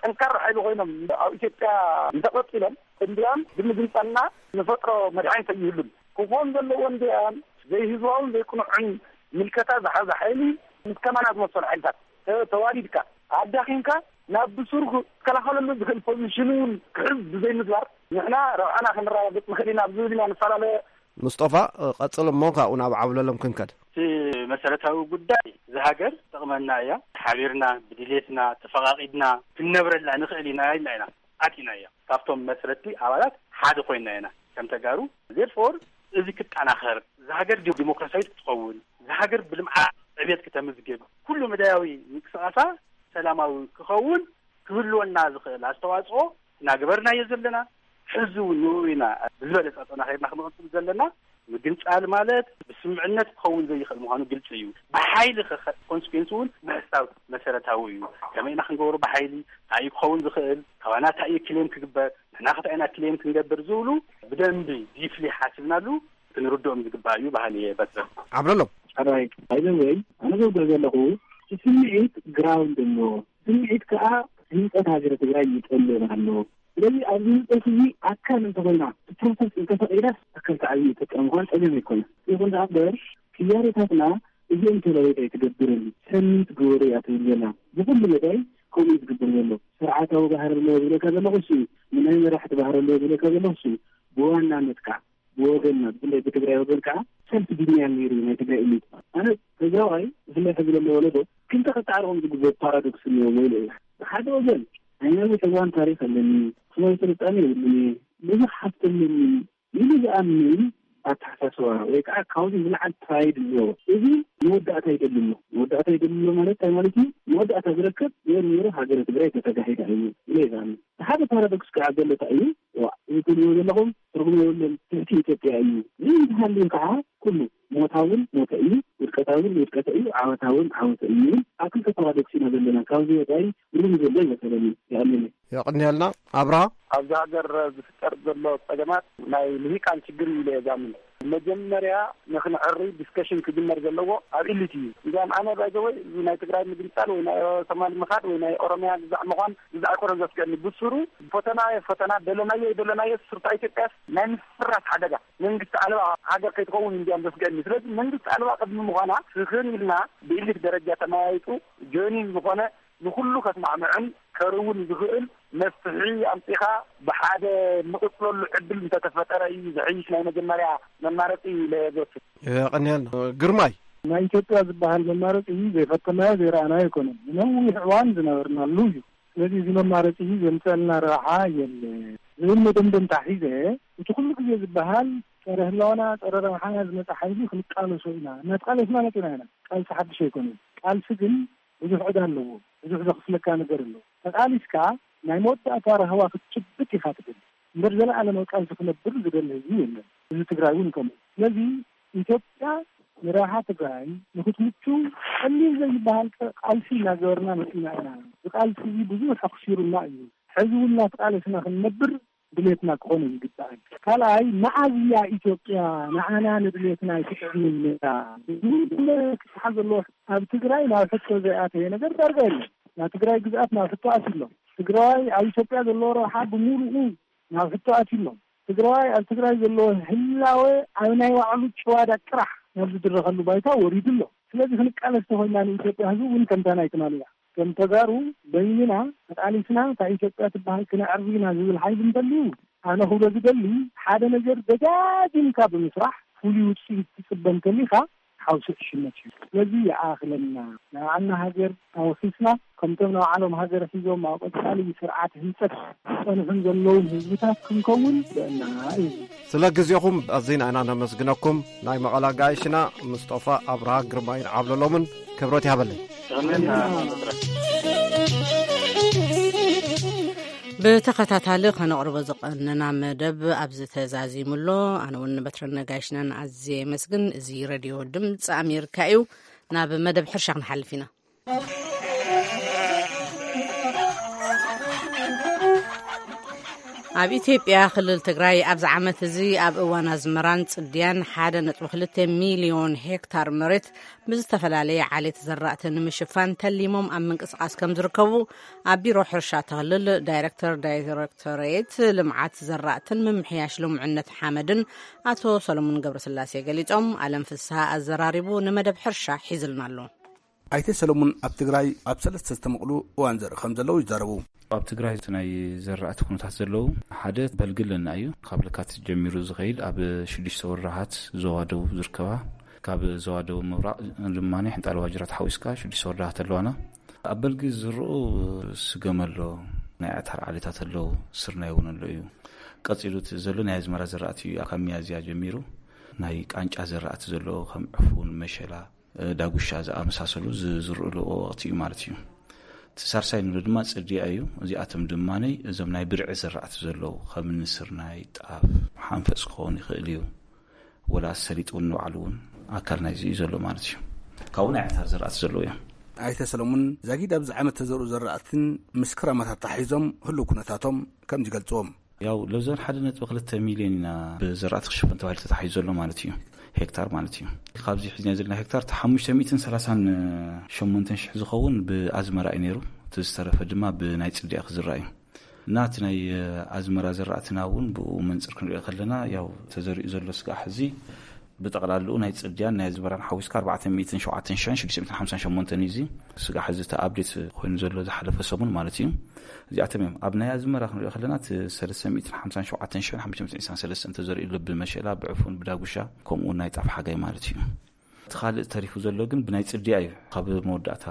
ጠንካራ ሓይሊ ኮይኖም ኣብ ኢትዮጵያ እንተቐፂሎም እንዲያም ብምግንፃልና ንፈጥሮ መድሓኒት ኣይህሉን። ክኾን ዘለዎ እንዲያም ዘይህዝባውን ዘይቅኑዕን ምልከታ ዝሓዘ ሓይሊ ምስ ከማና ዝመሰሉ ሓይልታት ተ- ተዋዲድካ ኣዳኺምካ ናብ ብሱር ክከላኸለሉ ዝኽእል ፖዚሽን እውን ክሕዝ ብዘይምግባር ንሕና ረብሓና ክንረጋገፅ ንኽእል ኢና ኣብ ዝብል ኢና ንፈላለ። ሙስጦፋ፣ ቀጽል እሞ ካብኡ ናብ ዓብለሎም ክንከድ። እቲ መሰረታዊ ጉዳይ እዛ ሃገር ትጠቕመና እያ። ሓቢርና ብድሌትና ተፈቓቒድና ክንነብረላ ንኽእል ኢና ኢልና ኢና ኣቲና እያ። ካብቶም መስረቲ ኣባላት ሓደ ኮይና ኢና ከም ተጋሩ። ዜርፎር እዚ ክጠናኸር፣ እዛ ሃገር ዲ- ዲሞክራሲያዊት ክትኸውን፣ እዛ ሃገር ብልምዓት ዕብየት ክተምዝግብ፣ ኩሉ መዳያዊ ምንቅስቃሳ ሰላማዊ ክኸውን ክህልወና ዝኽእል ኣስተዋፅኦ እናገበርናዮ ዘለና፣ ሕዚ እውን ንኡ ኢና ብዝበለፀ ኣጠናኺርና ክንቕፅል ዘለና። ምግንፃል ማለት ብስምምዕነት ክኸውን ዘይኽእል ምዃኑ ግልፂ እዩ። ብሓይሊ ከ ኮንስኩዌንስ እውን ምሕሳብ መሰረታዊ እዩ። ከመይ ኢና ክንገብሮ ብሓይሊ? እንታይ እዩ ክኸውን ዝኽእል? ካባና እንታይ እዩ ክሌም ክግበር? ንሕና ከ እንታይ ኢና ክሌም ክንገብር ዝብሉ ብደንቢ ዲፍሊ ሓሲብናሉ ክንርድኦም ዝግባእ እዩ በሃሊ እየ። በትረ። ዓብለሎም። ሕራይ። ባይዘወይ ኣነ ዘውገ ዘለኹ እቲ ስምዒት ግራውንድ ኣለዎ። ስምዒት ከዓ ህንፀት ሃገረ ትግራይ ይጠልብ ኣሎ። ስለዚ ኣብዚ ህንፀት እዚ ኣካል እንተኾይና እቲ ፕሮሰስ እንተፈቂዳስ ኣካል ተዓብዩ ይጠቀም ምኳን ፀገም ኣይኮነ። ይኹን ደኣ እምበር ክያሬታትና እዚኦም ተለወጥ ኣይትገብርን ሰሚት ግበሩ እያ ትብል ዘላ። ብኩሉ መዳይ ከምኡ እዩ ዝግበር ዘሎ። ስርዓታዊ ባህሪ ኣለዎ ዝብለካ ዘለኹ እሱ እዩ። ንናይ መራሕቲ ባህሪ ኣለዎ ዝብለካ ዘለኹ እሱ እዩ። ብዋናነት ከዓ ብወገንና ብፍላይ ብትግራይ ወገን ከዓ ሰልፍ ድኛል ነይሩ ናይ ትግራይ ኢሊት። ኣነ ትግራዋይ ብፍላይ ሕዚ ዘሎ ወለዶ ክልተ ክተዓርቆም ዝግበሩ ፓራዶክስ እኒኦ ወይ ኢለ እየ። ብሓደ ወገን ናይ ነዊሕ እዋን ታሪክ ኣለኒ፣ ክሳዊ ስልጣነ የብሉኒ፣ ብዙሕ ሃፍቲ ኣለኒ ኢሉ ዝኣምን ኣተሓሳስባ ወይ ከዓ ካብዚ ዝለዓል ፕራይድ ኣለዎ። እዚ መወዳእታ ይደሊ ኣሎ። መወዳእታ ይደሊ ኣሎ ማለት እንታይ ማለት እዩ? መወዳእታ ዝረከብ ወይ ነይሩ ሃገረ ትግራይ ተተጋሂዳ እዩ ኢለ ይዛሚ። ሓደ ፓራዶክስ ከዓ ዘሎ እንታይ እዩ? ዋ፣ እዚ ትብልዎ ዘለኹም ትርጉም የብሉን፣ ትሕቲ ኢትዮጵያ እዩ። እዚ እንተሃልዩ ከዓ ኩሉ ሞታውን ሞተ እዩ፣ ውድቀታውን ውድቀተ እዩ፣ ዓወታውን ዓወተ እዩ። ኣብ ክልተ ፓራዶክስ ኢና ዘለና። ካብዚ ወፃኢ ምንም ዘሎ ይመሰለኒ። ይኣምን። የቐንየልና ኣብርሃ። ኣብዚ ሃገር ዝፍጠር ዘሎ ፀገማት ናይ ልሂቃን ችግር እዩ ኢለ እየ ዝኣምን። መጀመርያ ንክንዕሪ ዲስከሽን ክጅመር ዘለዎ ኣብ ኢሊት እዩ። እንዲያም ኣነ ባይዘወይ እዚ ናይ ትግራይ ምግንፃል ወይ ናይ ሶማል ምኻድ ወይ ናይ ኦሮሚያ ግዛዕ ምዃን ግዛዕ ኣይኮነን ዘስገኒ። ብስሩ ፈተና ፈተና ደለናዮ ደለናዮ ስርታ ኢትዮጵያስ ናይ ምፍራስ ሓደጋ መንግስቲ ኣልባ ሃገር ከይትኸውን እንዲያም ዘስገኒ። ስለዚ መንግስቲ ኣልባ ቅድሚ ምዃና ስኽን ኢልና ብኢሊት ደረጃ ተመያይጡ ጆይኒን ዝኾነ ንኹሉ ከስማዕምዕን ከርውን ዝኽእል መፍትሒ ኣምፂኻ ብሓደ ንቕፅለሉ ዕድል እንተተፈጠረ እዩ ዝሕይሽ ናይ መጀመርያ መማረፂ ኢለ ዝወስድ። የቐንየልና ግርማይ። ናይ ኢትዮጵያ ዝበሃል መማረፂ ዘይፈተናዮ ዘይረኣናዮ ኣይኮነን። ንነዊሕ እዋን ዝነበርናሉ እዩ። ስለዚ እዚ መማረፂ እዚ ዘምፀልና ረብሓ የለ ዝብል መደምደምታ ሒዘ እቲ ኩሉ ግዜ ዝበሃል ጸረ ህላወና ጸረ ረብሓና ዝመፀ ሓይሊ ክንቃለሶ ኢና እናተቃለስና መፂና ኢና። ቃልሲ ሓድሽ ኣይኮነን። ቃልሲ ግን ብዙሕ ዕዳ ኣለዎ። ብዙሕ ዘኽፍለካ ነገር ኣሎ። ተቃሊስካ ናይ መወዳእታ ራህዋ ክትጭብጥ ኢኻ ትደሊ እምበር ዘለኣለማዊ ቃልሲ ክነብር ዝደሊ ህዝቢ የለን። ህዝቢ ትግራይ እውን ከምኡ። ስለዚ ኢትዮጵያ ንረብሓ ትግራይ ንክትምቹ ቀሊል ዘይበሃል ቃልሲ እናገበርና መፂና ኢና። እዚ ቃልሲ እዚ ብዙሕ ኣኽሲሩና እዩ። ሕዚ እውን እናተቃለስና ክንነብር ድሌትና ክኾነ ይግባእ። ካልኣይ መዓዝ እያ ኢትዮጵያ ንዓና ንድሌትና ኣይትጥዕምን ነታ? ዝብል ክስሓብ ዘለዎ ኣብ ትግራይ ናብ ሕቶ ዘይኣተየ ነገር ዳርጋ የለን። ናብ ትግራይ ግዝኣት ናብ ሕቶ ኣትዩ ኣሎ። ትግራይ ኣብ ኢትዮጵያ ዘለዎ ረብሓ ብምሉኡ ናብ ሕቶ ኣትዩ ኣሎ። ትግራዋይ ኣብ ትግራይ ዘለዎ ህላወ ኣብ ናይ ባዕሉ ጭዋዳ ጥራሕ ናብ ዝድረኸሉ ባይታ ወሪዱ ኣሎ። ስለዚ ክንቃለስ ተኾይና ንኢትዮጵያ ህዝቢ እውን ከምታ ናይ ትማሊ እያ። ከም ተጋሩ በይንና ተቃሊስና እታ ኢትዮጵያ ትበሃል ክነዕርብ ኢና ዝብል ሓይሊ እንተልዩ፣ ኣነ ክብሎ ዝደሊ፣ ሓደ ነገር ደጋጊምካ ብምስራሕ ፍሉይ ውፅኢት ትፅበ እንተሊኻ ሓውሲ ዕሽነት እዩ። ስለዚ ይኣኽለና፣ ንባዕልና ሃገር ኣወሲስና፣ ከምቶም ንባዕሎም ሃገር ሒዞም ኣብ ቀፃሊ ስርዓት ህንፀት ዝፀንሑን ዘለውን ህዝብታት ክንከውን ይግበአና እዩ። ስለ ግዜኹም ኣዚና ኢና ነመስግነኩም። ናይ መቐለ ኣጋይሽና ምስጦፋ ኣብርሃ ግርማይን ዓብለሎምን ክብረት ይሃበለይ። ብተኸታታሊ ከነቕርቦ ዝቐነና መደብ ኣብዚ ተዛዚሙ ኣሎ። ኣነ እውን ንበትረን ነጋይሽናን ኣዝየ የመስግን። እዚ ሬድዮ ድምፂ ኣሜሪካ እዩ። ናብ መደብ ሕርሻ ክንሓልፍ ኢና። ኣብ ኢትዮጵያ ክልል ትግራይ ኣብዚ ዓመት እዚ ኣብ እዋን ኣዝመራን ጽድያን ሓደ ነጥቢ ክልተ ሚልዮን ሄክታር መሬት ብዝተፈላለየ ዓሌት ዘራእቲ ንምሽፋን ተሊሞም ኣብ ምንቅስቓስ ከም ዝርከቡ ኣብ ቢሮ ሕርሻ እቲ ክልል ዳይሬክተር ዳይሬክቶሬት ልምዓት ዘራእትን ምምሕያሽ ልሙዕነት ሓመድን ኣቶ ሰሎሞን ገብረስላሴ ገሊጾም። ኣለም ፍስሃ ኣዘራሪቡ ንመደብ ሕርሻ ሒዝልና ኣሎ። ኣይተ ሰለሙን ኣብ ትግራይ ኣብ ሰለስተ ዝተመቕሉ እዋን ዘርኢ ከም ዘለዉ ይዛረቡ። ኣብ ትግራይ እቲ ናይ ዘራእቲ ኩነታት ዘለዉ፣ ሓደ በልጊ ኣለና እዩ። ካብ ለካቲት ጀሚሩ ዝኸይድ ኣብ ሽዱሽተ ወረዳታት ዞባ ደቡብ ዝርከባ፣ ካብ ዞባ ደቡብ ምብራቕ ድማ ሕንጣል ዋጅራት ሓዊስካ ሽዱሽተ ወረዳታት ኣለዋና። ኣብ በልጊ ዝዝርኡ ስገም ኣሎ፣ ናይ ኣዕታር ዓሌታት ኣለዉ፣ ስርናይ እውን ኣሎ እዩ። ቀፂሉ እቲ ዘሎ ናይ ኣዝመራ ዘራእቲ እዩ። ካብ ሚያዝያ ጀሚሩ ናይ ቃንጫ ዘራእቲ ዘለዎ ከም ዕፉን፣ መሸላ፣ ዳጉሻ ዝኣመሳሰሉ ዝዝርኡሉ ወቕቲ እዩ ማለት እዩ። እቲ ሳልሳይ ንብሎ ድማ ጽድያ እዩ። እዚኣቶም ድማ እዞም ናይ ብርዒ ዘራእቲ ዘለዉ ከም እኒ ስርናይ፣ ጣፍ፣ ሓንፈጽ ክኸውን ይኽእል እዩ። ወላ ሰሊጥ እውን ንባዕሉ እውን ኣካል ናይዚ እዩ ዘሎ ማለት እዩ። ካብኡ ናይ ኣዕታር ዘራእቲ ዘለዉ እዮም። ኣይተ ሰለሙን ዛጊድ ኣብዚ ዓመት ተዘርኡ ዘራእትን ምስ ክረማት ኣተሓሒዞም ህልው ኩነታቶም ከም ዝገልጽዎም። ያው ለብዘን ሓደ ነጥቢ ክልተ ሚልዮን ኢና ብዘራእቲ ክሽፈን ተባሂሉ ተታሒዙ ዘሎ ማለት እዩ፣ ሄክታር ማለት እዩ። ካብዚ ሒዝና ዘለና ሄክታር እቲ ሓሙሽተ ሚእትን ሰላሳን ሸሞንተን ሽሕ ዝኸውን ብኣዝመራ እዩ ነይሩ። እቲ ዝተረፈ ድማ ብናይ ጽድያ ክዝራእ እዩ። እና እቲ ናይ ኣዝመራ ዘራእትና እውን ብኡ መንጽር ክንሪኦ ከለና፣ ያው ተዘሪኡ ዘሎ ስጋዕ ሕዚ ብጠቕላልኡ ናይ ጽድያን ናይ ኣዝመራን ሓዊስካ ኣርባዕተ ሚእትን ሸውዓተን ሽሕን ሽዱሽተ ሚእትን ሓምሳን ሸሞንተን እዩ። እዚ ስጋዕ ሕዚ እቲ ኣፕዴት ኮይኑ ዘሎ ዝሓለፈ ሰሙን ማለት እዩ። እዚኣቶም እዮም። ኣብ ናይ ኣዝመራ ክንሪኦ ከለና፣ እቲ ሰለስተ ሚእትን ሓምሳን ሸውዓተን ሽሕን ሓሙሽተ ሚእትን ዕስራን ሰለስተን ተዘሪኡ ኣሎ፣ ብመሸላ፣ ብዕፉን፣ ብዳጉሻ፣ ከምኡ እውን ናይ ጣፍ ሓጋይ ማለት እዩ። እቲ ካልእ ተሪፉ ዘሎ ግን ብናይ ጽድያ እዩ። ካብ መወዳእታ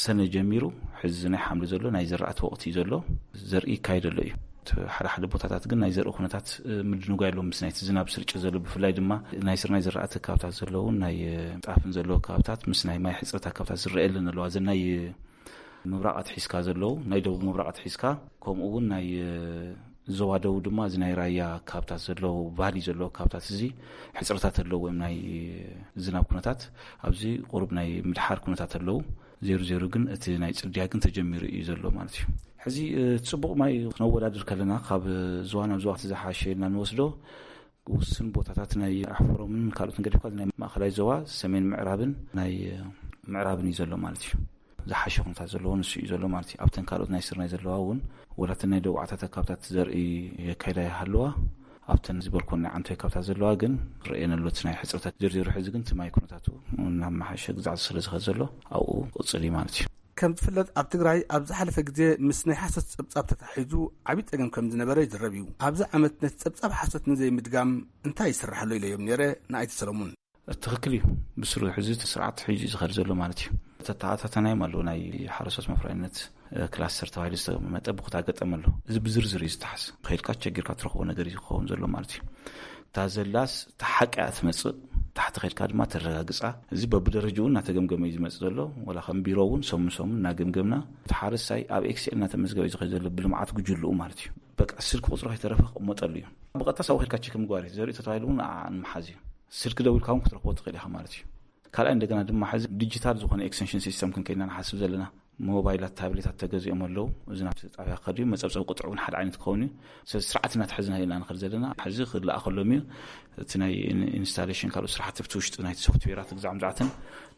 ሰነ ጀሚሩ ሕዚ ናይ ሓምሊ ዘሎ ናይ ዘራእቲ ወቕቲ እዩ ዘሎ። ዘርኢ ይካየድ ኣሎ እዩ። እቲ ሓደ ሓደ ቦታታት ግን ናይ ዘርኢ ኩነታት፣ እ፣ ምድንጓይ ኣሎ ምስ ናይቲ ዝናብ ስርጭት ዘሎ፣ ብፍላይ ድማ ናይ ስርናይ ዘራእቲ ኣካባብታት ዘለውን ናይ፣ እ፣ ጣፍን ዘለዎ ኣካባብታት ምስ ናይ ማይ ሕጽረት ኣካባብታት ዝረኣየለን ኣለዋ። እዘን ናይ ምብራቕ ኣትሒዝካ ዘለዉ፣ ናይ ደቡብ ምብራቕ ኣትሒዝካ፣ ከምኡ እውን ናይ፣ እ፣ ዞባ ደቡብ ድማ እዚ ናይ ራያ ኣካባብታት ዘለዉ፣ ባህሊ ዘለዉ ኣካባብታት እዚ ሕጽረታት ኣለዎ፣ ወይም ናይ ዝናብ ኩነታት ኣብዚ ቁሩብ ናይ ምድሓር ኩነታት ኣለዉ። ዜሩ ዜሩ ግን እቲ ናይ ጽድያ ግን ተጀሚሩ እዩ ዘሎ ማለት እዩ። ሕዚ፣ እ፣ ጽቡቕ ማይ ክነወዳድር ከለና ካብ ዞባ ናብ ዞባ እቲ ዝሓሸ ኢልና ንወስዶ፣ ውስን ቦታታት ናይ ኣሕፈሮምን ካልኦትን ገዲፍካ ናይ ማእከላይ ዞባ ሰሜን ምዕራብን ናይ ምዕራብን እዩ ዘሎ ማለት እዩ። ዝሓሸ ኩነታት ዘለዎ ንሱ እዩ ዘሎ ማለት እዩ። ኣብተን ካልኦት ናይ ስርናይ ዘለዋ እውን፣ ወላተን ናይ ደቡባታት ኣካብታት ዘርኢ የካይዳ ይሃለዋ፣ ኣብተን ዝበልኮን ናይ ዓንቶ ኣካብታት ዘለዋ ግን ረእየን ኣሎ እቲ ናይ ሕፅረታት። ዝርዝሩ ሕዚ ግን እቲ ማይ ኩነታቱ እናመሓሸ ግዛዕ ስለ ዝኸድ ዘሎ ኣብኡ ቅፅል እዩ ማለት እዩ። ከም ዝፍለጥ ኣብ ትግራይ ኣብ ዝሓለፈ ግዜ ምስ ናይ ሓሶት ጸብጻብ ተታሒዙ ዓብዪ ጸገም ከም ዝነበረ ይዝረብ እዩ። ኣብዚ ዓመት ነቲ ጸብጻብ ሓሶት ንዘይምድጋም እንታይ ይስራሕ ኣሎ ኢለዮም ነይረ ንኣይቲ ሰለሙን። ትኽክል እዩ። ብስሩ ሕዚ እቲ ስርዓት ሒዙ እዩ ዝኸድ ዘሎ ማለት እዩ። ተተኣታተናዮም ኣለዉ ናይ ሓረስቶት መፍረያይነት፣ እ፣ ክላስተር ተባሂሉ ዝተቐመጠ ብኩታ ገጠም ኣሎ። እዚ ብዝርዝር እዩ ዝተሓዝ። ከይድካ ቸጊርካ ትረኽቦ ነገር እዩ ክኸውን ዘሎ ማለት እዩ። እታ ዘላስ እታ ሓቂ እያ ትመጽእ፣ ታሕቲ ከይድካ ድማ ተረጋግጻ። እዚ በብደረጃኡ እናተገምገመ እዩ ዝመጽእ ዘሎ። ወላ ከም ቢሮ እውን ሰሙን ሰሙን እናገምገምና፣ እቲ ሓረስታይ ኣብ ኤክስኤል እናተመዝገበ እዩ ዝኸይድ ዘሎ ብልምዓት ጉጅልኡ ማለት እዩ። በቃ ስልኪ ቁጽሩ ከይተረፈ ክቕመጠሉ እዩ። ብቐጥታ ሳቡ ከይድካ ቸክ ምግባር እዩ። ዘርኢ ተታሂሉ እውን ንዓ ንምሓዝ እዩ። ስልኪ ደዊልካ እውን ክትረኽቦ ትኽእል ኢኻ ማለት እዩ። ካልኣይ እንደገና ድማ ሕዚ ዲጂታል ዝኾነ ኤክስቴንሽን ሲስተም ክንከይድና ንሓስብ ዘለና። ሞባይላት፣ ታብሌታት ተገዚኦም ኣለዉ። እዚ ናብቲ ጣብያ ክኸድ እዩ። መጸብጸቢ ቁጥሪ እውን ሓደ ዓይነት ክኸውን እዩ። ስለዚ ስርዓት እናተሐዝና ኢና ንኸድ ዘለና። ሕዚ ክለኣኸሎም እዩ። እቲ ናይ ኢን-፣ ኢንስታሌሽን ካልኦት ስራሕቲ ኣብቲ ውሽጢ ናይቲ ሶፍትዌራት ግዛዕ ምዛዕትን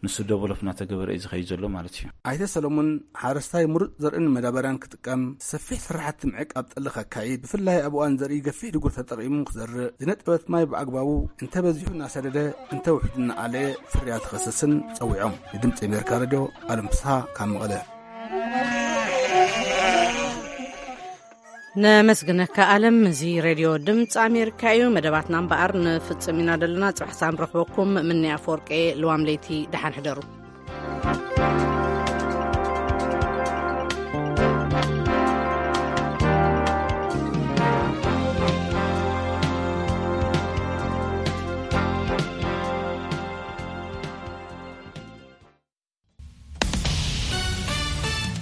ንሱ ደቨሎፕ እናተገበረ እዩ ዝኸይድ ዘሎ ማለት እዩ። ኣይተ ሰለሙን፣ ሓረስታይ ምሩፅ ዘርእን መዳበርያን ክጥቀም፣ ሰፊሕ ስራሕቲ ምዕቃብ ጠሊ ከካይድ፣ ብፍላይ ኣብ እዋን ዘርኢ ገፊሕ ድጉር ተጠቒሙ ክዘርእ፣ ዝነጠበት ማይ ብኣግባቡ እንተበዚሑ እናሰደደ፣ እንተውሕዱ እናኣለየ ፍርያት ክኸሰስን ጸዊዖም። ንድምፂ ኣሜሪካ ሬድዮ ኣለም ፍስሃ ካብ መቐለ። ነመስግነካ ኣለም። እዚ ሬድዮ ድምፂ ኣሜሪካ እዩ። መደባትና እምበኣር ንፍፅም ኢና ዘለና። ፅባሕ ሳም ረኽበኩም። ምንያ ኣፈወርቄ። ልዋም ለይቲ ደሓን ሕደሩ።